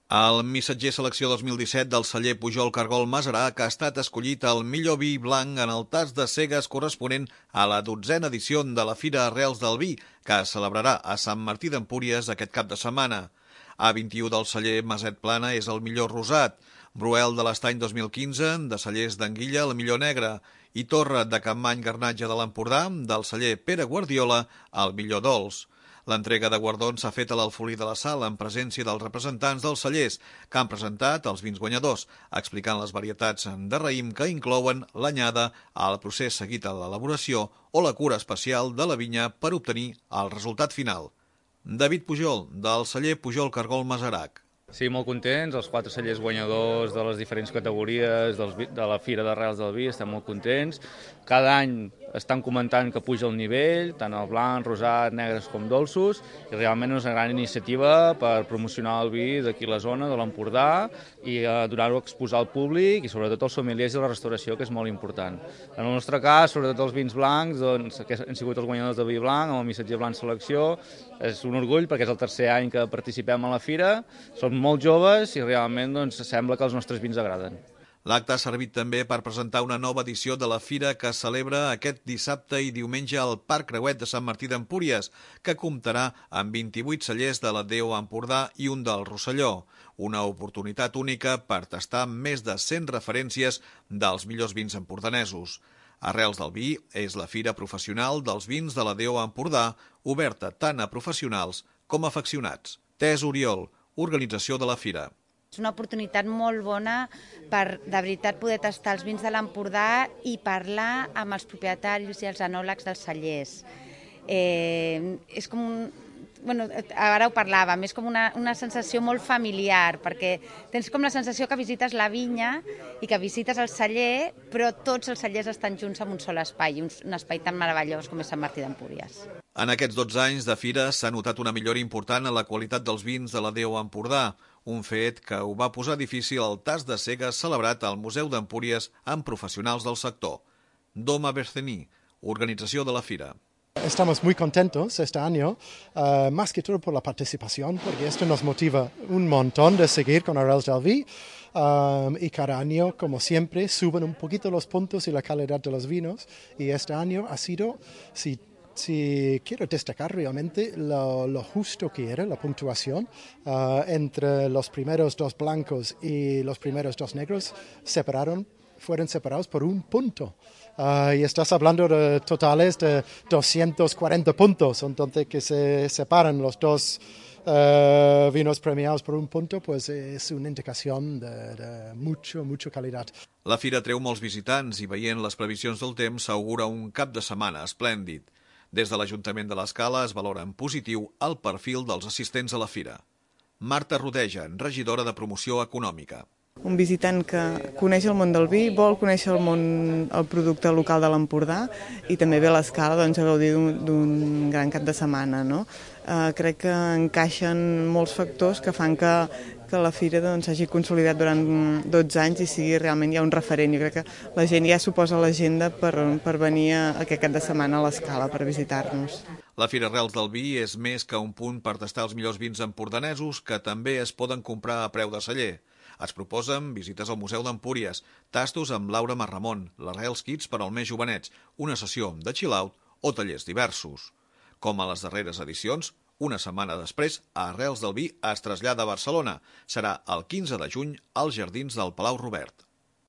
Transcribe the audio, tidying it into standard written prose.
El missatger selecció 2017 del celler Pujol Cargol Masarac ha estat escollit el millor vi blanc en el tas de cegues corresponent a la 12a edició de la Fira Arrels del Vi, que es celebrarà a Sant Martí d'Empúries aquest cap de setmana. A21 del celler Maset Plana és el millor rosat, Bruel de l'Estany 2015, de cellers d'Anguilla, el millor negre, i Torre de Campmany Garnatge de l'Empordà, del celler Pere Guardiola, el millor dolç. L'entrega de guardons s'ha fet a l'Alfolí de la Sal en presència dels representants dels cellers que han presentat els vins guanyadors, explicant les varietats de raïm que inclouen l'anyada, el procés seguit a l'elaboració o la cura especial de la vinya per obtenir el resultat final. David Pujol, del celler Pujol Cargol Masarac. Sí, molt contents, els 4 cellers guanyadors de les diferents categories de la Fira d'Arrels del Vi, estem molt contents. Cada any estan comentant que puja el nivell, tant el blanc, rosat, negres com dolços, i realment és una gran iniciativa per promocionar el vi d'aquí a la zona, de l'Empordà, i donar-ho a exposar al públic i sobretot als sommeliers i la restauració, que és molt important. En el nostre cas, sobretot els vins blancs, doncs, que han sigut els guanyadors de vi blanc, amb el missatger blanc selecció, és un orgull perquè és el tercer any que participem a la fira, som molt joves i realment doncs, sembla que els nostres vins agraden. L'acte ha servit també per presentar una nova edició de la fira que es celebra aquest dissabte i diumenge al Parc Creuet de Sant Martí d'Empúries, que comptarà amb 28 cellers de la DEO Empordà i un del Rosselló. Una oportunitat única per tastar més de 100 referències dels millors vins empordanesos. Arrels del Vi és la fira professional dels vins de la DEO Empordà, oberta tant a professionals com a afeccionats. Tés Oriol, organització de la fira. És una oportunitat molt bona per, de veritat, poder tastar els vins de l'Empordà i parlar amb els propietaris i els enòlegs dels cellers. És com ara ho parlàvem, és com una sensació molt familiar, perquè tens com la sensació que visites la vinya i que visites el celler, però tots els cellers estan junts en un sol espai, un espai tan meravellós com és Sant Martí d'Empúries. En aquests 12 anys de fira s'ha notat una millora important en la qualitat dels vins de la DEO Empordà, un fet que ho va posar difícil al tas de cegues celebrat al Museu d'Empúries amb professionals del sector. Doma Bercení, organització de la fira. Estamos muy contentos este año, más que todo por la participación, porque esto nos motiva un montón de seguir con Arrels del Vi, y cada año, como siempre, suben un poquito los puntos y la calidad de los vinos, y este año ha sido, si quiero destacar realmente lo justo que era la puntuación entre los primeros 2 blancos y los primeros 2 negros, fueron separados por 1 punto. Y estás hablando de totales de 240 puntos, entonces que se separan los 2 vinos premiados por 1 punto, pues es una indicación de mucha calidad. La fira treu molts visitants i veient les previsions del temps s'augura un cap de setmana esplèndid. Des de l'Ajuntament de l'Escala es valora en positiu el perfil dels assistents a la fira. Marta Rodeja, regidora de Promoció Econòmica. Un visitant que coneix el món del vi, vol conèixer el producte local de l'Empordà i també ve a l'Escala a gaudir d'un gran cap de setmana. No? Crec que encaixen molts factors que fan que la fira s'hagi consolidat durant 12 anys i sigui realment ja un referent. Jo crec que la gent ja s'ho posa a l'agenda per venir aquest cap de setmana a l'Escala per visitar-nos. La Fira Arrels del Vi és més que un punt per tastar els millors vins empordanesos que també es poden comprar a preu de celler. Es proposen visites al Museu d'Empúries, tastos amb Laura Marramon, l'Arrels Kids per als més jovenets, una sessió de chill-out o tallers diversos. Com a les darreres edicions, una setmana després, Arrels del Vi es trasllada a Barcelona. Serà el 15 de juny als jardins del Palau Robert.